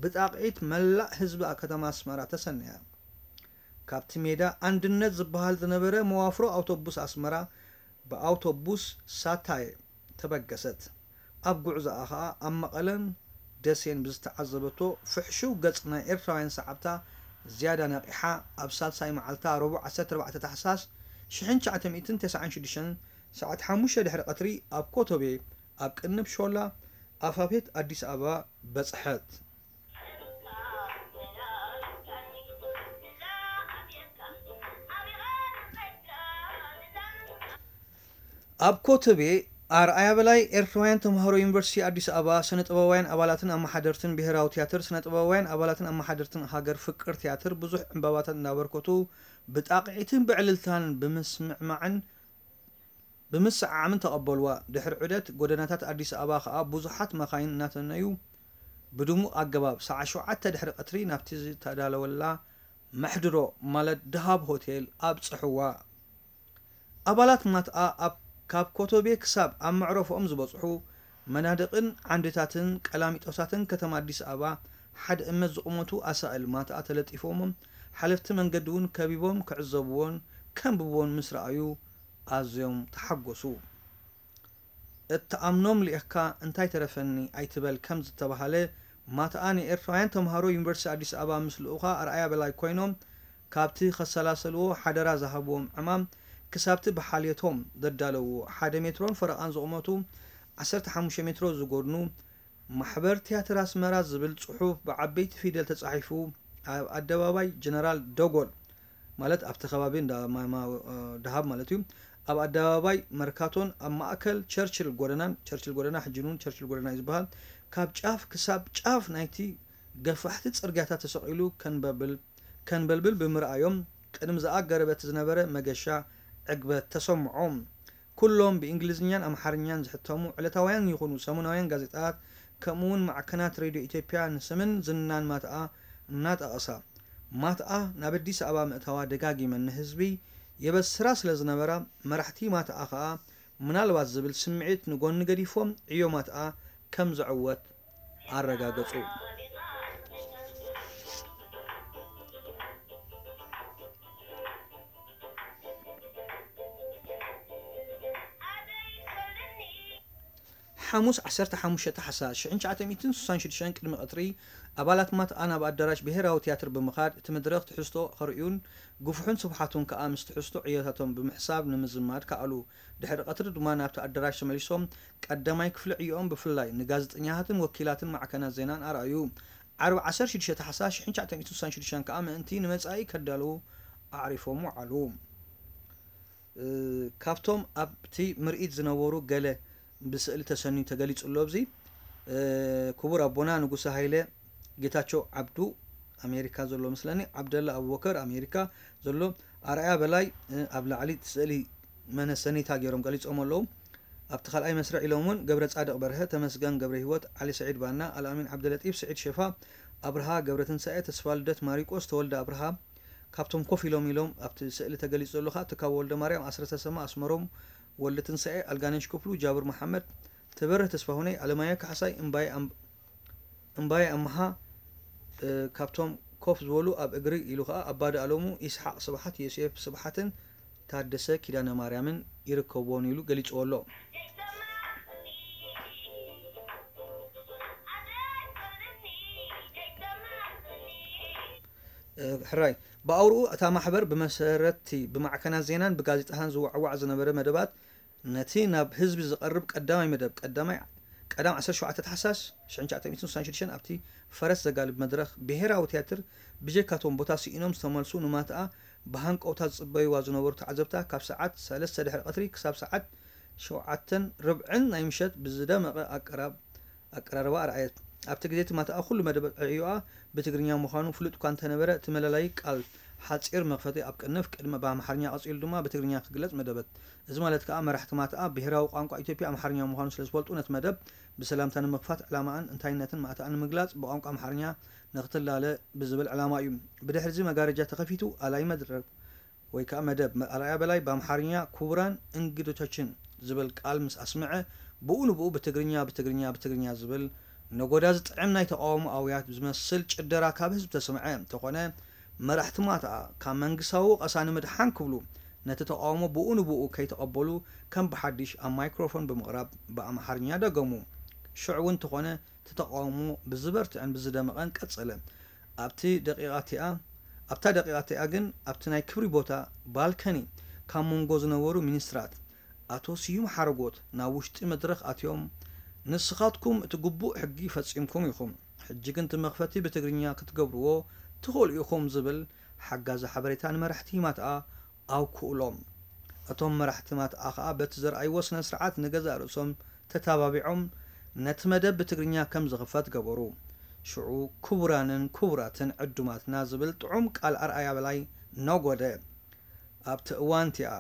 ብጣቕዒት መላእ ህዝቢ ከተማ ኣስመራ ተሰነያ። ካብቲ ሜዳ ኣንድነት ዝበሃል ዝነበረ መዋፍሮ ኣውቶቡስ ኣስመራ ብኣውቶቡስ ሳታየ ተበገሰት። ኣብ ጉዕዞኣ ኸኣ ኣብ መቐለን ደሴን ብዝተዓዘበቶ ፍሕሹው ገጽ ናይ ኤርትራውያን ሰዓብታ ዝያዳ ነቒሓ ኣብ ሳልሳይ መዓልታ ረቡዕ ዓሰርተ ኣርባዕተ ታሕሳስ ሽሕን ትሽዓተ ሚእትን ተስዓን ሽዱሽተን ሰዓት ሓሙሽተ ድሕሪ ቀትሪ ኣብ ኮተቤ ኣብ ቅንብ ሾላ ኣፋፌት ኣዲስ ኣበባ በጽሐት። ኣብ ኮተቤ ኣርኣያ በላይ ኤርትራውያን ተምሃሮ ዩኒቨርሲቲ ኣዲስ ኣበባ ስነ ጥበባውያን ኣባላትን ኣመሓደርትን ብሄራዊ ትያትር ስነ ጥበባውያን ኣባላትን ኣመሓደርትን ሃገር ፍቅር ትያትር ብዙሕ ዕምባባታት እንዳበርከቱ ብጣቕዒትን ብዕልልታን ብምስምዕማዕን ብምስዕዓምን ተቐበልዋ። ድሕሪ ዑደት ጎደናታት ኣዲስ ኣበባ ከኣ ብዙሓት መኻይን እናተነዩ ብድሙቕ ኣገባብ ሰዓት ሸውዓተ ድሕሪ ቀትሪ ናብቲ ዝተዳለወላ መሕድሮ ማለት ደሃብ ሆቴል ኣብጽሕዋ። ኣባላት ማትኣ ኣብ ካብ ኮቶቤ ክሳብ ኣብ መዕረፎኦም ዝበጽሑ መናድቕን ዓንድታትን ቀላሚጦሳትን ከተማ ኣዲስ ኣበባ ሓደ እመት ዝቑመቱ ኣሳእል ማትኣ ተለጢፎሞም ሓለፍቲ መንገዲ እውን ከቢቦም ክዕዘብዎን ከንብብዎን ምስ ረኣዩ ኣዝዮም ተሓጎሱ። እትኣምኖም ልኢኽካ እንታይ ተረፈኒ ኣይትበል ከም ዝተባህለ ማትኣ ንኤርትራውያን ተምሃሮ ዩኒቨርሲቲ ኣዲስ ኣበባ ምስ ልኡኻ ኣርኣያ በላይ ኮይኖም ካብቲ ከሰላሰልዎ ሓደራ ዝሃብዎም ዕማም ክሳብቲ ብሓልዮቶም ዘዳለውዎ ሓደ ሜትሮን ፈረቓን ዝቑመቱ ዓሰርተ ሓሙሽተ ሜትሮ ዝጎድኑ ማሕበር ትያትር ኣስመራ ዝብል ጽሑፍ ብዓበይቲ ፊደል ተጻሒፉ ኣብ ኣደባባይ ጀነራል ደጎል ማለት ኣብቲ ከባቢ እንዳ ማማ ደሃብ ማለት እዩ ኣብ ኣደባባይ መርካቶን ኣብ ማእከል ቸርችል ጎደናን ቸርችል ጎደና ሕጂ እውን ቸርችል ጎደና እዩ ዝበሃል ካብ ጫፍ ክሳብ ጫፍ ናይቲ ገፋሕቲ ጽርግያታት ተሰቒሉ ከንበብል ከንበልብል ብምርኣዮም ቅድሚ ዝኣገረ በቲ ዝነበረ መገሻ ዕግበት ተሰምዖም። ኩሎም ብእንግሊዝኛን ኣምሓርኛን ዝሕተሙ ዕለታውያን ይኹኑ ሰሙናውያን ጋዜጣታት ከምኡውን ማዕከናት ሬድዮ ኢትዮጵያ ንስምን ዝናን ማትኣ እናጠቐሳ ማትኣ ናብ ኣዲስ ኣበባ ምእታዋ ደጋጊመን ንህዝቢ የበስራ ስለ ዝነበራ መራሕቲ ማትኣ ከኣ ምናልባት ዝብል ስምዒት ንጎኒ ገዲፎም ዕዮ ማትኣ ከም ዘዕወት ኣረጋገጹ። ሓሙስ ዓሰርተ ሓሙሽተ ታሕሳስ ሽሕን ትሽዓተ ሚእትን ስሳን ሽዱሽተን ቅድሚ ቀትሪ ኣባላት ማትኣ ናብ ኣዳራሽ ብሄራዊ ትያትር ብምኻድ እቲ መድረኽ ትሕዝቶ ከርእዩን ግፉሕን ስብሓቱን ከኣ ምስ ትሕዝቶ ዕዮታቶም ብምሕሳብ ንምዝማድ ከኣሉ። ድሕሪ ቀትሪ ድማ ናብቲ ኣዳራሽ ተመሊሶም ቀዳማይ ክፍሊ ዕዮኦም ብፍላይ ንጋዜጠኛታትን ወኪላትን ማዕከናት ዜናን ኣርኣዩ። ዓርቢ ዓሰርተ ሽዱሽተ ታሕሳስ ሽሕን ትሽዓተ ሚእትን ስሳን ሽዱሽተን ከኣ ምእንቲ ንመጻኢ ከዳልዉ ኣዕሪፎም ወዓሉ። ካብቶም ኣብቲ ምርኢት ዝነበሩ ገለ ብስእሊ ተሰንዩ ተገሊጹ ኣሎ። ኣብዚ ክቡር ኣቦና ንጉሰ ሃይለ፣ ጌታቸው ዓብዱ ኣሜሪካ ዘሎ መስለኒ፣ ዓብደላ ኣቡበከር ኣሜሪካ ዘሎ፣ ኣርኣያ በላይ ኣብ ላዕሊ እቲ ስእሊ መነሰኒታ ገይሮም ገሊጾም ኣለዉ። ኣብቲ ካልኣይ መስርዕ ኢሎም እውን ገብረ ጻድቕ በርሀ፣ ተመስገን ገብረ ህይወት፣ ዓሊ ስዒድ ባና፣ ኣልኣሚን ዓብደለጢፍ፣ ስዒድ ሸፋ፣ ኣብርሃ ገብረትንሳኤ፣ ተስፋልደት ማሪቆስ፣ ተወልደ ኣብርሃ፣ ካብቶም ኮፍ ኢሎም ኢሎም ኣብቲ ስእሊ ተገሊጹ ዘሎ ከኣ ትካቦ ወልደማርያም፣ ኣስረስ ተሰማ፣ ኣስመሮም ወልደትንሳኤ፣ ኣልጋነሽ ክፍሉ፣ ጃብር መሓመድ፣ ትበርህ ተስፋሁነይ፣ ኣለማየሁ ካሕሳይ፣ እምባየ ኣም- እምባየ ኣምሃ፣ እ፣ ካብቶም ኮፍ ዝበሉ ኣብ እግሪ ኢሉ ከኣ ኣባዲ ኣለሙ፣ ኢስሓቕ ስብሓት፣ ዮሴፍ ስብሓትን ታደሰ ኪዳነ ማርያምን ይርከብዎን ኢሉ ገሊጽዎ ኣሎ። ሕራይ ብኣውርኡ እታ ማሕበር ብመሰረትቲ ብማዕከናት ዜናን ብጋዜጣታን ዝዋዕዋዕ ዝነበረ መደባት ነቲ ናብ ህዝቢ ዝቐርብ ቀዳማይ መደብ ቀዳማይ ቀዳም ዓሰርተ ሸውዓተ ታሕሳስ ሽሕን ትሽዓተ ሚእትን ስሳን ሽዱሽተን ኣብቲ ፈረስ ዘጋልብ መድረኽ ብሄራዊ ትያትር ብጀካቶም ቦታ ስኢኖም ዝተመልሱ ንማትኣ ብሃንቀውታ ዝጽበይዋ ዝነበሩ ተዓዘብታ፣ ካብ ሰዓት ሰለስተ ድሕሪ ቀትሪ ክሳብ ሰዓት ሸውዓተን ርብዕን ናይ ምሸት ብዝደመቐ ኣቀራብ-፣ ኣቀራርባ ኣርኣየት። ኣብቲ ግዜ እቲ ማትኣ ኩሉ መደብ ዕዮኣ ብትግርኛ ምዃኑ ፍሉጥ እኳ እንተነበረ፣ እቲ መለለዪ ቃል ሓጺር መኽፈቲ ኣብ ቅንፍ፣ ቅድሚ ብኣምሓርኛ ቀጺሉ ድማ ብትግርኛ ክግለጽ መደበት። እዚ ማለት ከኣ መራሕቲ ማትኣ ብሄራዊ ቋንቋ ኢትዮጵያ ኣምሓርኛ ምዃኑ ስለ ዝፈልጡ፣ ነቲ መደብ ብሰላምታ ንምኽፋት ዕላማኣን እንታይነትን ማትኣን ንምግላጽ ብቋንቋ ኣምሓርኛ ንኽትላለ ብዝብል ዕላማ እዩ። ብድሕሪ እዚ መጋረጃ ተኸፊቱ፣ ኣላይ መድረብ ወይ ከኣ መደብ ኣርኣያ በላይ ብኣምሓርኛ ክቡራን እንግዶቻችን ዝብል ቃል ምስ ኣስምዐ፣ ብኡ ንብኡ ብትግርኛ፣ ብትግርኛ፣ ብትግርኛ ዝብል ነጎዳ ዝጥዕም ናይ ተቓውሞ ኣውያት ዝመስል ጭደራ ካብ ህዝቢ ተሰምዐ። እንተኾነ፣ መራሕቲ ማትኣ ካብ መንግስታዊ ወቐሳ ንምድሓን ክብሉ፣ ነቲ ተቓውሞ ብኡ ንብኡ ከይተቐበሉ፣ ከም ብሓድሽ ኣብ ማይክሮፎን ብምቕራብ ብኣምሓርኛ ደገሙ። ሽዑ እውን እንተኾነ፣ እቲ ተቓውሞ ብዝበርትዕን ብዝደመቐን ቀጸለ። ኣብቲ ደቂቓ እቲኣ፣ ኣብታ ደቂቓ እቲኣ ግን፣ ኣብቲ ናይ ክብሪ ቦታ፣ ባልከኒ፣ ካብ መንጎ ዝነበሩ ሚኒስትራት፣ ኣቶ ስዩም ሓረጎት፣ ናብ ውሽጢ መድረኽ ኣትዮም፣ "ንስኻትኩም እቲ ግቡእ ሕጊ ፈጺምኩም ኢኹም። ሕጂ ግን እቲ መኽፈቲ ብትግርኛ ክትገብርዎ ትኽእሉ ኢኹም" ዝብል ሓጋዚ ሓበሬታ ንመራሕቲ ማትኣ ኣውክኡሎም። እቶም መራሕቲ ማትኣ ኸኣ በቲ ዘርኣይዎ ስነ ስርዓት ንገዛእ ርእሶም ተታባቢዖም ነቲ መደብ ብትግርኛ ከም ዝኽፈት ገበሩ። ሽዑ "ክቡራንን ክቡራትን ዕዱማትና" ዝብል ጥዑም ቃል ኣርኣያ በላይ ነጎደ። ኣብቲ እዋን እቲኣ፣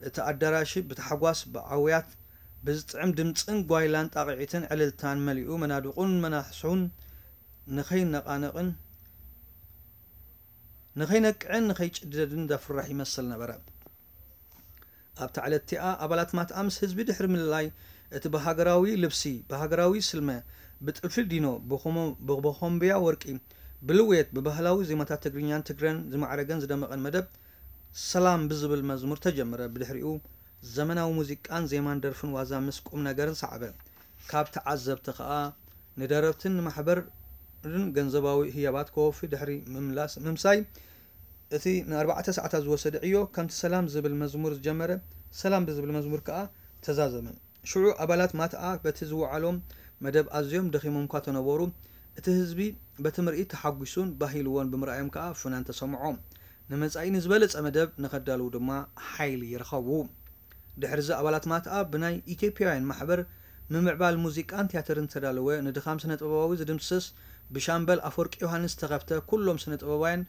እቲ ኣዳራሽ ብታሕጓስ፣ ብኣውያት፣ ብዝጥዕም ድምጽን ጓይላን ጣቕዒትን ዕልልታን መሊኡ፣ መናድቑን መናሕሱን ንኸይነቓነቕን ንኸይነቅዕን ንኸይጭደድን ዘፍርሕ ይመስል ነበረ። ኣብታ ዕለት እቲኣ፣ ኣባላት ማትኣ ምስ ህዝቢ ድሕሪ ምልላይ፣ እቲ ብሃገራዊ ልብሲ፣ ብሃገራዊ ስልመ፣ ብጥልፊ ዲኖ፣ ብኾሞ-፣ ብቦኾምብያ ወርቂ፣ ብልውየት፣ ብባህላዊ ዜማታት ትግርኛን ትግረን ዝማዕረገን ዝደመቐን መደብ፣ ሰላም ብዝብል መዝሙር ተጀመረ። ብድሕሪኡ፣ ዘመናዊ ሙዚቃን ዜማን ደርፍን ዋዛ ምስ ቁም ነገርን ሰዓበ። ካብ ተዓዘብቲ ከኣ ንደረፍትን ንማሕበርን ገንዘባዊ ህያባት ከወፊ ድሕሪ ምምላስ፣ ምምሳይ፣ እቲ ንኣርባዕተ ሰዓታት ዝወሰደ ዕዮ ከምቲ ሰላም ዝብል መዝሙር ዝጀመረ፣ ሰላም ብዝብል መዝሙር ከኣ ተዛዘመ። ሽዑ ኣባላት ማትኣ በቲ ዝወዓሎም መደብ ኣዝዮም ደኺሞም እኳ ተነበሩ፣ እቲ ህዝቢ በቲ ምርኢት ተሓጒሱን ባህ ኢልዎን ብምርኣዮም ከኣ ፍናን ተሰምዖ። ንመጻኢ ንዝበለጸ መደብ ንኸዳልዉ ድማ ሓይሊ ይረኸቡ። ድሕሪዚ ኣባላት ማትኣ ብናይ ኢትዮጵያውያን ማሕበር ምምዕባል ሙዚቃን ቲያትርን ዝተዳለወ ንድኻም ስነ-ጥበባዊ ዝድምስስ ብሻምበል ኣፈወርቂ ዮሃንስ ዝተኸፍተ ኩሎም ስነ-ጥበባውያን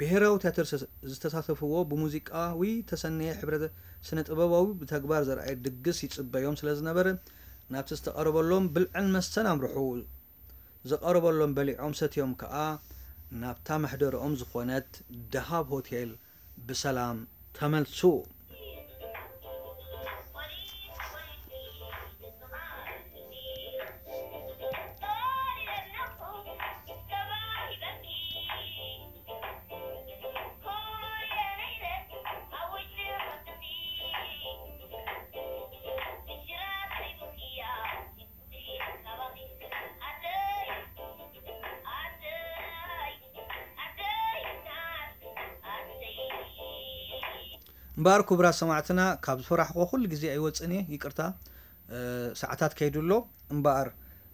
ብሄራዊ ቲያትር ዝተሳተፍዎ ብሙዚቃዊ ተሰነየ ሕብረ ስነ-ጥበባዊ ብተግባር ዘርኣየ ድግስ ይጽበዮም ስለ ዝነበረ ናብቲ ዝተቐረበሎም ብልዕን መስተን ኣምርሑ። ዝቐረበሎም በሊዖም ሰትዮም ከኣ ናብታ መሕደርኦም ዝኾነት ደሃብ ሆቴል ብሰላም ተመልሱ። እምበኣር ክቡራት ሰማዕትና፣ ካብ ዝፈራሕኮ ኩሉ ግዜ ኣይወጽእን እየ፣ ይቅርታ፣ እ፣ ሰዓታት ከይዱ ኣሎ። እምበኣር፣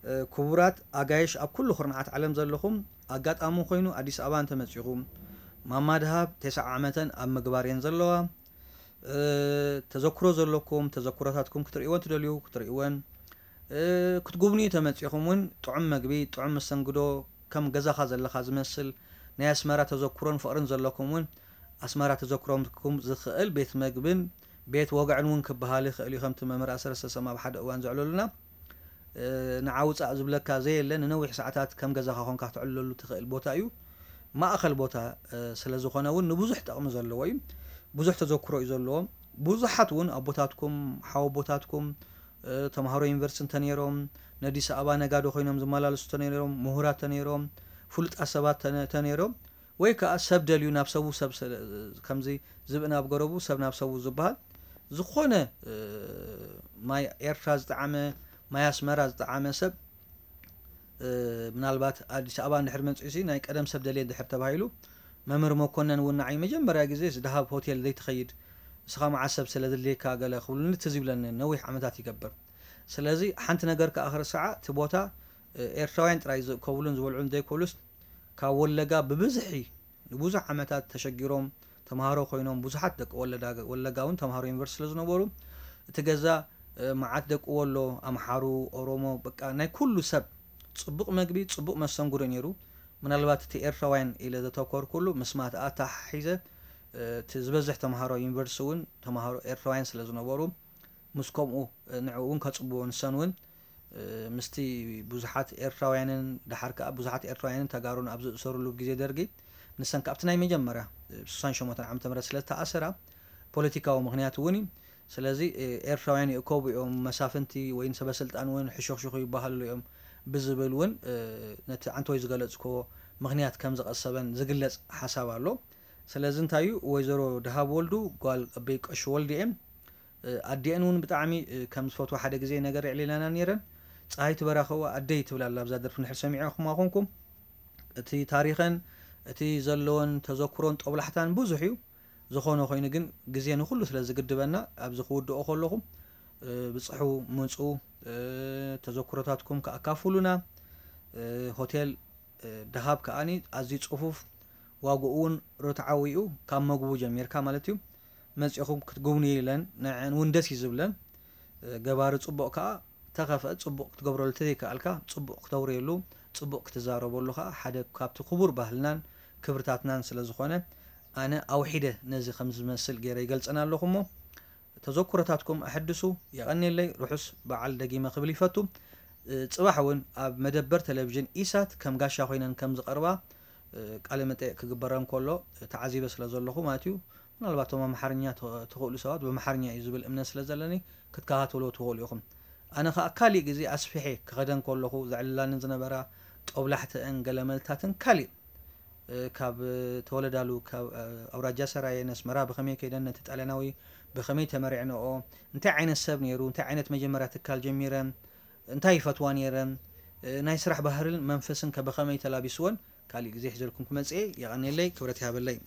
እ፣ ክቡራት ኣጋይሽ ኣብ ኩሉ ኩርናዓት ዓለም ዘለኹም፣ ኣጋጣሚ ኮይኑ ኣዲስ ኣበባ እንተመጺኹም፣ ማማ ድሃብ ተስዓ ዓመተን ኣብ ምግባር እየን ዘለዋ። እ፣ ተዘክሮ ዘለኩም፣ ተዘክሮታትኩም ክትርእይወን ትደልዩ፣ ክትርእይወን፣ እ፣ ክትጉብንዩ ተመጺኹም እውን ጥዑም መግቢ፣ ጥዑም መስተንግዶ፣ ከም ገዛኻ ዘለኻ ዝመስል ናይ ኣስመራ ተዘክሮን ፍቕርን ዘለኩም እውን ኣስመራ ተዘክሮኩም ዝኽእል ቤት መግብን ቤት ወግዕን እውን ክበሃል ይኽእል እዩ። ከምቲ መምህር ኣሰረሰ ሰማ ኣብ ሓደ እዋን ዘዕለሉና፣ እ፣ ንዓ ውጻእ ዝብለካ ዘየለ ንነዊሕ ሰዓታት ከም ገዛኻ ኮንካ ክትዕልለሉ ትኽእል ቦታ እዩ። ማእኸል ቦታ፣ እ፣ ስለ ዝኾነ እውን ንብዙሕ ጠቕሚ ዘለዎ እዩ። ብዙሕ ተዘክሮ እዩ ዘለዎ። ብዙሓት እውን ኣቦታትኩም፣ ሓወቦታትኩም፣ እ፣ ተምሃሮ ዩኒቨርሲቲ እንተነይሮም፣ ነዲስ ኣበባ ነጋዶ ኮይኖም ዝመላለሱ እንተነይሮም፣ ምሁራት እንተነይሮም፣ ፍሉጣት ሰባት እንተ-፣ እንተነይሮም፣ ወይ ከኣ ሰብ ደልዩ ናብ ሰቡ ሰብ ስለ-፣ ከምዚ ዝብኢ ናብ ገረቡ ሰብ ናብ ሰቡ ዝበሃል፣ ዝኾነ፣ እ፣ ማይ ኤርትራ ዝጠዓመ፣ ማይ ኣስመራ ዝጠዓመ ሰብ፣ እ፣ ምናልባት ኣዲስ ኣበባ እንድሕር መጺኡሲ ናይ ቀደም ሰብ ደልየ እንድሕር ተባሂሉ፣ መምህር መኮነን እውን ንዓይ መጀመርያ ግዜ ደሃብ ሆቴል ዘይትኸይድ፣ ንስኻ መዓስ ሰብ ስለ ዘድልየካ ገለ ክብሉኒ ትዝ ይብለኒ፣ ነዊሕ ዓመታት ይገብር። ስለዚ ሓንቲ ነገር ከኣ ክርስዓ፣ እቲ ቦታ፣ እ፣ ኤርትራውያን ጥራይ ዝእከብሉን ዝበልዑን ዘይኮኑስ፣ ካብ ወለጋ ብብዝሒ ንብዙሕ ዓመታት ተሸጊሮም፣ ተምሃሮ ኮይኖም ብዙሓት ደቂ ወለጋ እውን ተምሃሮ ዩኒቨርሲቲ ስለ ዝነበሩ እቲ ገዛ መዓት ደቂ ወሎ፣ ኣምሓሩ፣ ኦሮሞ፣ በቃ ናይ ኩሉ ሰብ ጽቡቕ መግቢ፣ ጽቡቕ መስተንግዶ ነይሩ። ምናልባት እቲ ኤርትራውያን ኢለ ዘተኮርኩሉ ምስማት ኣተሓሒዘ እቲ ዝበዝሕ ተምሃሮ ዩኒቨርሲቲ እውን ተምሃሮ ኤርትራውያን ስለ ዝነበሩ ምስ ከምኡ ንዕኡ እውን ከጽብዎ ንሰን እውን ምስቲ ብዙሓት ኤርትራውያንን ደሓር ከኣ ብዙሓት ኤርትራውያንን ተጋሩን ኣብ ዝእሰሩሉ ግዜ ደርጊ ንሰን ካብቲ ናይ መጀመርያ ስሳን ሸሞንተን ዓመተ ምህረት ስለ ዝተኣሰራ ፖለቲካዊ ምኽንያት እውን እዩ። ስለዚ ኤርትራውያን ይእከቡ እዮም፣ መሳፍንቲ ወይ ሰበስልጣን እውን ሕሹኽሹኽ ይበሃሉ እዮም ብዝብል እውን ነቲ ዓንተወይ ዝገለጽክዎ ምኽንያት ከም ዝቐሰበን ዝግለጽ ሓሳብ ኣሎ። ስለዚ እንታይ እዩ ወይዘሮ ደሃብ ወልዱ ጓል ኣበይ ቀሺ ወልዱ እየን። ኣዲአን እውን ብጣዕሚ ከም ዝፈትዋ ሓደ ግዜ ነገር የዕሊላና ነይረን። ፀሃይቲ በራኸዋ ኣደይ ትብል ኣላ ኣብዛ ደርፊ ንድሕር ሰሚዕኹማ ኮንኩም። እቲ ታሪኸን እቲ ዘለወን ተዘክሮን ጦብላሕታን ብዙሕ እዩ። ዝኾነ ኮይኑ ግን ግዜ ንኹሉ ስለ ዝግድበና ኣብዚ ክውድኦ ከለኹ ብፅሑ ምፁ ተዘክሮታትኩም ከኣካፍሉና ሆቴል ደሃብ ከኣኒ ኣዝዩ ፅፉፍ ዋግኡ እውን ርትዓዊ እዩ ካብ መግቡ ጀሚርካ ማለት እዩ መፂኹም ክትጉብንዩ ኢለን ንዐን እውን ደስ እዩ ዝብለን ገባሪ ፅቡቕ ከዓ ተኸፍአ ፅቡቕ ክትገብረሉ ተዘይከኣልካ ፅቡቕ ክተውርየሉ ፅቡቕ ክትዛረበሉ ከዓ ሓደ ካብቲ ክቡር ባህልናን ክብርታትናን ስለ ዝኾነ ኣነ ኣውሒደ ነዚ ከም ዝመስል ገይረ ይገልፀን ኣለኹ እሞ ተዘክሮታትኩም ኣሐድሱ የቐንየለይ ርሑስ በዓል ደጊመ ክብል ይፈቱ ፅባሕ እውን ኣብ መደበር ቴሌቪዥን ኢሳት ከም ጋሻ ኮይነን ከም ዝቐርባ ቃለ መጠየቅ ክግበረን ከሎ ተዓዚበ ስለ ዘለኹ ማለት እዩ ምናልባት ቶም ኣምሓርኛ ትኽእሉ ሰባት ብኣምሓርኛ እዩ ዝብል እምነት ስለ ዘለኒ ክትከታተልዎ ትኽእሉ ኢኹም ኣነ ከዓ ካሊእ ግዜ ኣስፊሐ ክኸደን ከለኹ ዘዕልላንን ዝነበራ ጦብላሕተአን ገለመልታትን ካሊእ ካብ ተወለዳሉ ካብ ኣውራጃ ሰራየ ነስመራ ብኸመይ ከይደን ነቲ ጣልያናዊ ብኸመይ ተመሪዕንኦ እንታይ ዓይነት ሰብ ነይሩ እንታይ ዓይነት መጀመርያ ትካል ጀሚረን እንታይ ይፈትዋ ነይረን ናይ ስራሕ ባህርን መንፈስን ከ ብኸመይ ተላቢስወን ካሊእ ግዜ ሒዘልኩም ክመፅእ የቐንየለይ ክብረት ይሃበለይ